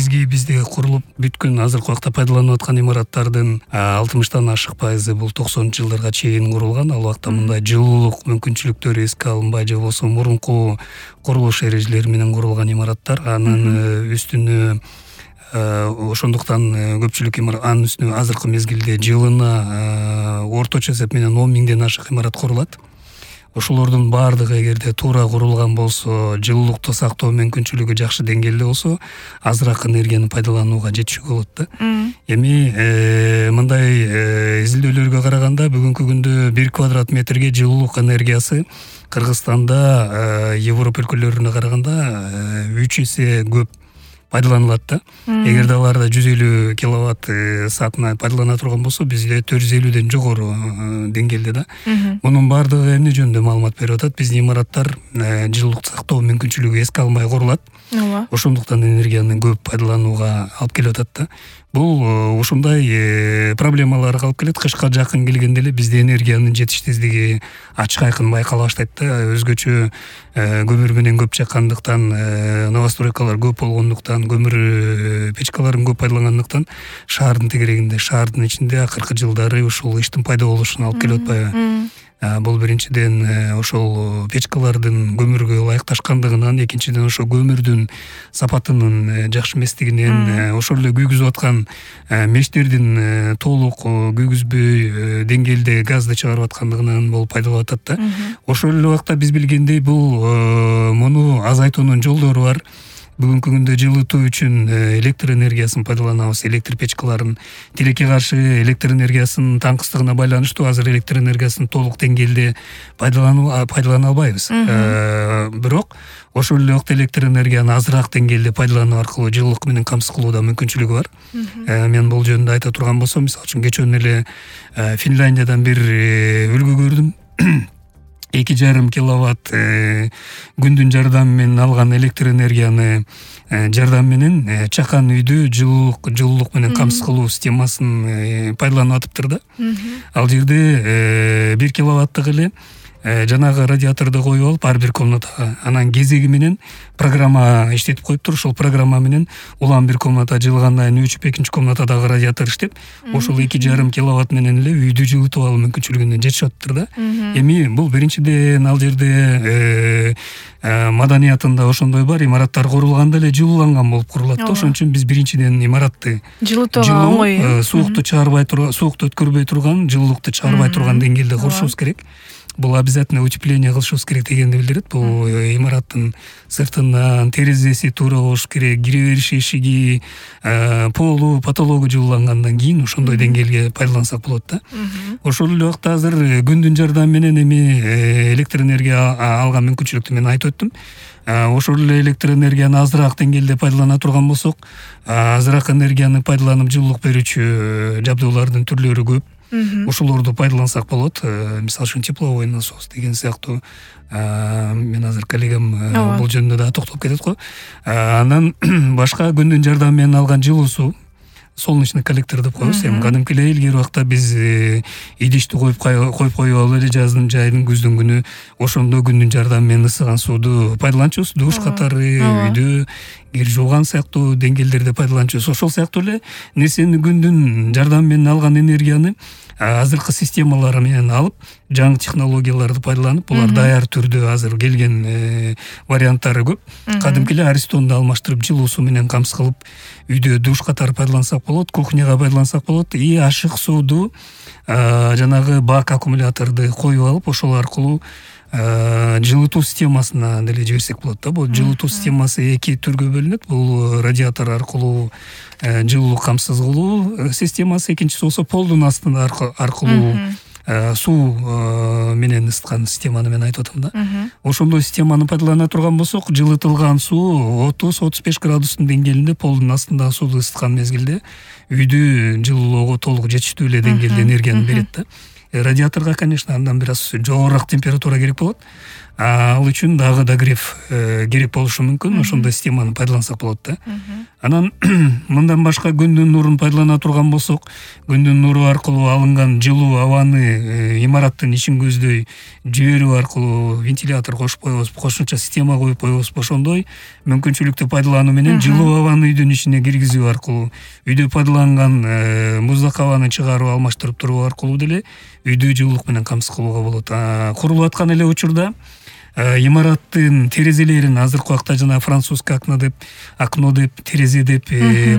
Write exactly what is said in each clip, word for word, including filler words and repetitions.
негизги бизде курулуп бүткөн азыркы убакта пайдаланып аткан имараттардын алтымыштан ашык пайызы бул токсонунчу жылдарга чейин курулган. Ал убакта мындай жылуулук мүмкүнчүлүктөрү эске алынбай же болбосо мурунку курулуш эрежелери менен курулган имараттар. Анын үстүнө ошондуктан көпчүлүк имарат анын үстүнө азыркы мезгилде жылына орточо эсеп менен он миңден ашык имарат курулат. Ошолордун баардыгы эгерде туура курулган болсо, жылуулукту сактоо мүмкүнчүлүгү жакшы деңгээлде болсо, азыраак энергияны пайдаланууга жетүүгө болот да. Эми мындай изилдөөлөргө караганда бүгүнкү күндө бир квадрат метрге жылуулук энергиясы Кыргызстанда Европа өлкөлөрүнө караганда үч эсе көп пайдаланылат да. Эгерде аларда жүз элүү киловатт саатына пайдалана турган болсо, бизде төрт жүз элүүдөн жогору деңгээлде да. Мунун баардыгы эмне жөнүндө маалымат берип атат? Биздин имараттар жылуулукту сактоо мүмкүнчүлүгү эске алынбай курулат. Ошондуктан энергияны көп пайдаланууга алып келип атат да. Бул ушундай проблемаларга алып келет. Кышка жакын келгенде эле бизде энергиянын жетишсиздиги ачык айкын байкала баштайт да. Өзгөчө көмүр менен көп жаккандыктан, новостройкалар көп болгондуктан, көмүр печкаларын көп пайдалангандыктан шаардын тегерегинде, шаардын ичинде акыркы жылдары ушул иштин пайда болушуна алып келип атпайбы? Бул биринчиден ошол печкалардын көмүргө ылайыкташкандыгынан, экинчиден ошо көмүрдүн сапатынын жакшы эместигинен, ошол эле күйгүзүп аткан мештердин толук күйгүзбөй деңгээлде газды чыгарып аткандыгынан болуп пайда болуп атат да. Ошол эле убакта биз билгендей бул муну азайтуунун жолдору бар. Бүгүнкү күндө жылытуу үчүн электр энергиясын пайдаланабыз, электр печкаларын. Тилекке каршы электр энергиясынын таңкыстыгына байланыштуу азыр электр энергиясын толук деңгээлде пайдалана албайбыз. Бирок ошол эле убакта электр энергияны азыраак деңгээлде пайдалануу аркылуу жылуулук менен камсыз кылууда мүмкүнчүлүгү бар. Мен бул жөнүндө айта турган болсом, мисалы үчүн кечөөнү эле Финляндиядан бир үлгү көрдүм. эки жарым киловатт күндүн жардамы менен алган электр энергияны жардам менен чакан үйдү жылуулук жылуулук менен камсыз кылуу системасын пайдаланып атыптыр да. Ал жерде бир киловаттык эле жанагы радиаторду коюп алып, ар бир комнатага анан кезеги менен программа иштетип коюптур. Ошол программа менен улам бир комната жылыгандан кийин өчүп, экинчи комнатадагы радиатор иштеп, ошол эки жарым киловатт менен эле үйдү жылытып алуу мүмкүнчүлүгүнө жетишип атыптыр да. Эми бул биринчиден ал жерде маданиятында ошондой бар, имараттар курулганда эле жылууланган болуп курулат да. Ошон үчүн биз биринчиден имаратты жылытууга оңой, суукту чыгарбай турган, суукту өткөрбөй турган, жылуулукту чыгарбай турган деңгээлде курушубуз керек. Бул обязательно утепление кылышыбыз керек дегенди билдирет. Бул имараттын сыртынан терезеси туура болуш керек, кире бериш эшиги, полу, потологу жылуулангандан кийин ошондой деңгээлге пайдалансак болот да. Ошол эле убакта азыр күндүн жардамы менен эми электр энергия алган мүмкүнчүлүктү мен айтып өттүм. Ошол эле электр энергияны азыраак деңгээлде пайдалана турган болсок, азыраак энергияны пайдаланып жылуулук берүүчү жабдуулардын түрлөрү көп. Ошолорду пайдалансак болот. Мисалы үчүн тепловой насос деген сыяктуу. Мен азыр коллегам бул жөнүндө да токтолуп кетет го. Анан башка күндүн жардамы менен алган жылуу суу, солнечный коллектор деп коебуз. Эми кадимки эле илгери убакта биз идишти коюп коюп коюп алып эле жаздын, жайдын, күздүн күнү ошондо күндүн жардамы менен ысыган сууду пайдаланчубуз. Душ катары, үйдө кир жууган сыяктуу деңгээлдерде пайдаланчубуз. Ошол сыяктуу эле нерсени күндүн жардамы менен алган энергияны азыркы системалар менен алып, жаңы технологияларды пайдаланып, булар даяр түрдө азыр келген варианттары көп. Кадимки эле аристонду алмаштырып, жылуу суу менен камсыз кылып, үйдө душ катары пайдалансак болот, кухняга пайдалансак болот. И ашык сууду жанагы бак аккумуляторду коюп алып, ошол аркылуу жылытуу системасына деле жиберсек болот да. Бул жылытуу системасы эки түргө бөлүнөт. Бул радиатор аркылуу жылуулук камсыз кылуу системасы, экинчиси болсо полдун астында аркылуу суу менен ысыткан системаны мен айтып атам да. Ошондой системаны пайдалана турган болсок, жылытылган суу отуз отуз беш градустун деңгээлинде полдун астындагы сууду ысыткан мезгилде үйдү жылуулоого толук жетиштүү эле деңгээлде энергияны берет да. Радиаторга, конечно, андан бир аз жогорураак температура керек болот. ал үчүн дагы да греф керек болушу мүмкүн. Ошондой системаны пайдалансак болот да. Анан мындан башка күндүн нурун пайдалана турган болсок, күндүн нуру аркылуу алынган жылуу абаны имараттын ичин көздөй жиберүү аркылуу вентилятор кошуп коебуз, кошумча система коюп коебуз. Ошондой мүмкүнчүлүктү пайдалануу менен жылуу абаны үйдүн ичине киргизүү аркылуу, үйдө пайдаланган муздак абаны чыгаруу, алмаштырып туруу аркылуу деле үйдү жылуулук менен камсыз кылууга болот. Курулуп аткан эле учурда имараттын терезелерин азыркы убакта жана французский окно деп, окно деп, терезе деп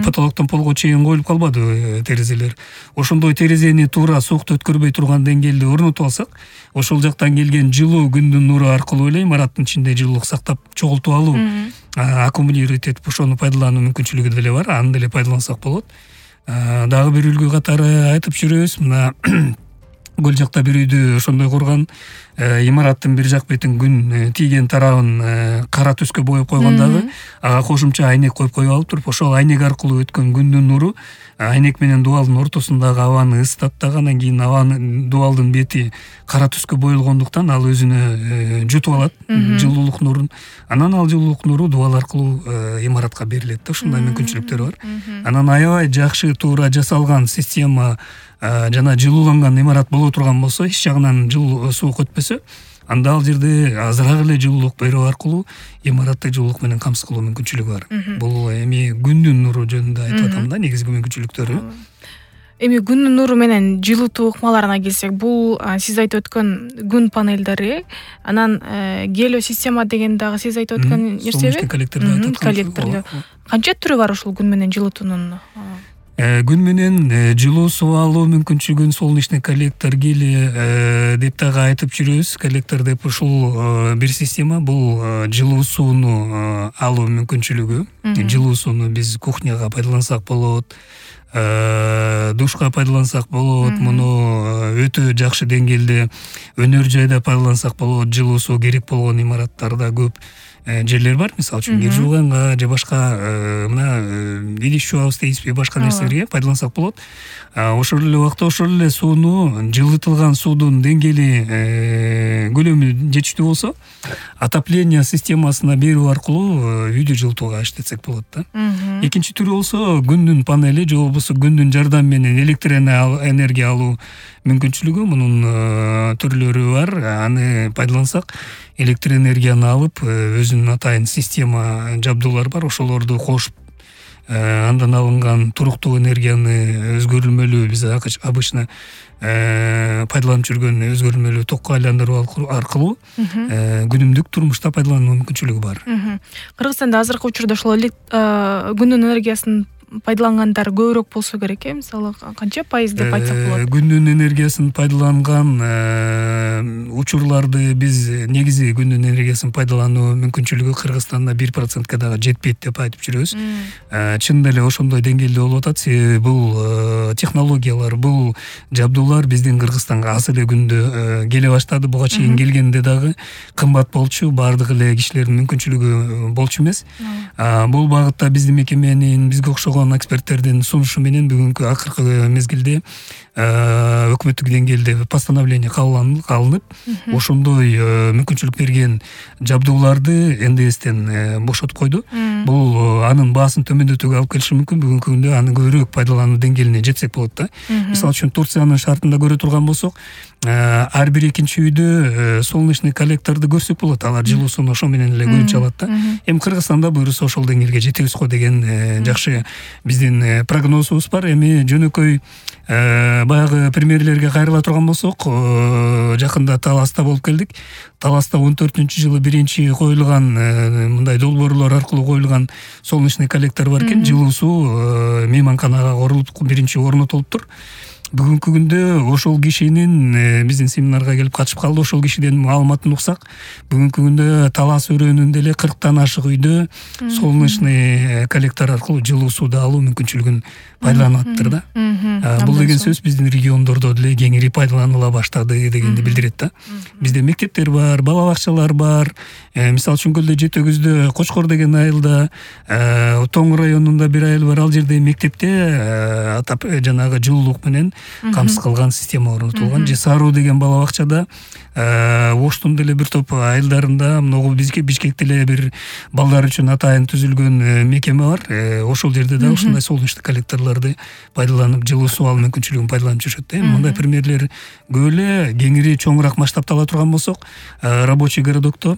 потолоктон полго чейин коюлуп калбады терезелер. Ошондой терезени туура суукту өткөрбөй турган деңгээлде орнотуп алсак, ошол жактан келген жылуу күндүн нуру аркылуу эле имараттын ичинде жылуулук сактап чогултуп алуу, аккумулировать этип ошону пайдалануу мүмкүнчүлүгү деле бар. Аны деле пайдалансак болот. Дагы бир үлгү катары айтып жүрөбүз. Мына көл жакта бир үйдү ошондой курган, имараттын бир жак бетин күн тийген тарабын кара түскө боеп койгондагы, ага кошумча айнек коюп коюп алып туруп, ошол айнек аркылуу өткөн күндүн нуру айнек менен дубалдын ортосундагы абаны ысытат дагы, анан кийин абаны дубалдын бети кара түскө боелгондуктан ал өзүнө жутуп алат жылуулук нурун. Анан ал жылуулук нуру дубал аркылуу имаратка берилет да. Ушундай мүмкүнчүлүктөр бар. Анан аябай жакшы туура жасалган система жана жылууланган имарат боло турган болсо, эч жагынан жылуу суук өтпөсө, анда ал жерде азыраак эле жылуулук берүү аркылуу имаратты жылуулук менен камсыз кылуу мүмкүнчүлүгү бар. Бул эми күндүн нуру жөнүндө айтып атам да, негизги мүмкүнчүлүктөрү. Эми күндүн нуру менен жылытуу ыкмаларына келсек, бул сиз айтып өткөн күн панелдери, анан гелио система деген дагы сиз айтып өткөн нерсеби? Солнечный коллекторду айтып аткан. Коллекторду. Канча түрү бар ушул күн менен жылытуунун? Күн менен жылуу суу алуу мүмкүнчүлүгүн солнечный коллектор гелий деп дагы айтып жүрөбүз. Коллектор деп ушул бир система, бул жылуу сууну алуу мүмкүнчүлүгү. Жылуу сууну биз кухняга пайдалансак болот, душка пайдалансак болот, муну өтө жакшы деңгээлде өнөр жайда пайдалансак болот. Жылуу суу керек болгон имараттарда көп жерлер бар. Мисалы үчүн кир жууганга же башка мына идиш жуабыз дейсизби, башка нерселерге пайдалансак болот. Ошол эле убакта ошол эле сууну, жылытылган суудун деңгээли көлөмү жетиштүү болсо, отопление системасына берүү аркылуу үйдү жылытууга иштетсек болот да. Экинчи түрү болсо күндүн панели же болбосо күндүн жардамы менен электр энергия алуу мүмкүнчүлүгү. Мунун түрлөрү бар. Аны пайдалансак, электр энергияны алып, өзүнүн атайын система жабдуулар бар. Ошолорду кошуп, андан алынган туруктуу энергияны өзгөрүлмөлүү, биз обычно пайдаланып жүргөн өзгөрүлмөлүү токко айландыруу аркылуу күнүмдүк турмушта пайдалануу мүмкүнчүлүгү бар. Кыргызстанда азыркы учурда ошол күндүн энергиясын пайдалангандар көбүрөөк болсо керек, э? Мисалы, канча пайыз деп айтсак болот? Күндүн энергиясын пайдаланган учурларды биз негизи күндүн энергиясын пайдалануу мүмкүнчүлүгү Кыргызстанда бир процентке дагы жетпейт деп айтып жүрөбүз. Чын эле ошондой деңгээлде болуп атат. Себеби бул технологиялар, бул жабдуулар биздин Кыргызстанга аз эле күндө келе баштады. Буга чейин келгенде дагы кымбат болчу, баардык эле кишилердин мүмкүнчүлүгү болчу эмес. Бул багытта биздин мекеменин, бизге окшогон эксперттердин сунушу менен бүгүнкү акыркы мезгилде өкмөттүк деңгээлде постановление кабыл алынып, ошондой мүмкүнчүлүк берген жабдууларды эн дэ эстен бошотуп койду. Бул анын баасын төмөндөтүүгө алып келиши мүмкүн. Бүгүнкү күндө аны көбүрөөк пайдалануу деңгээлине жетсек болот да. Мисалы үчүн Турциянын шартында көрө турган болсок, ар бир экинчи үйдө солнечный коллекторду көрсөк болот. Алар жылуу сууну ошо менен эле көбүнчө алат да. Эми Кыргызстанда буюрса ошол деңгээлге жетебиз го деген жакшы биздин прогнозубуз бар. Эми жөнөкөй баягы премьерлерге кайрыла турган болсок, жакында Таласта болуп келдик. Таласта он төртүнчү жылы биринчи коюлган мындай долбоорлор аркылуу коюлган солнечный коллектор бар экен. Жылуу суу мейманканага курулуп биринчи орнотулуптур. Бүгүнкү күндө ошол кишинин биздин семинарга келип катышып калды. Ошол кишиден маалыматын уксак, бүгүнкү күндө Талас өрөөнүндө эле кырктан ашык үйдө солнечный коллектор аркылуу жылуу сууду алуу мүмкүнчүлүгүн пайдаланаттыр да. Бул деген сөз биздин региондордо деле кеңири пайдаланыла баштады дегенди билдирет да. Бизде мектептер бар, бала бакчалар бар. Мисалы үчүн Көлдө Жети Өгүздө Кочкор деген айылда, Тоң районунда бир айыл бар. Ал жерде мектепте атап жанагы жылуулук менен камсыз кылган система орнотулган. же Саруу деген бала бакчада Оштун деле бир топ айылдарында могу бизге Бишкекте эле бир балдар үчүн атайын түзүлгөн мекеме бар. Ошол жерде да ушундай солнечный коллекторлорду пайдаланып, жылуу суу алуу мүмкүнчүлүгүн пайдаланып жүрүшөт да. Мындай примерлер көп эле. Кеңири чоңураак масштабта ала турган болсок, рабочий городокто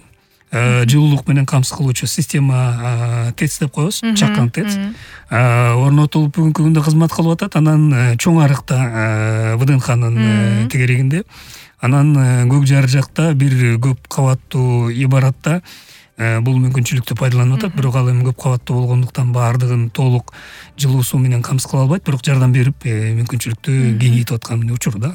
жылуулук менен камсыз кылуучу система ТЭЦ деп коебуз, чакан ТЭЦ орнотулуп бүгүнкү күндө кызмат кылып атат. Анан чоң арыкта ВДНХнын тегерегинде, анан көк жар жакта бир көп кабаттуу имаратта бул мүмкүнчүлүктү пайдаланып атат. Бирок ал эми көп кабаттуу болгондуктан баардыгын толук жылуу суу менен камсыз кыла албайт, бирок жардам берип мүмкүнчүлүктү кеңейтип аткан учур да.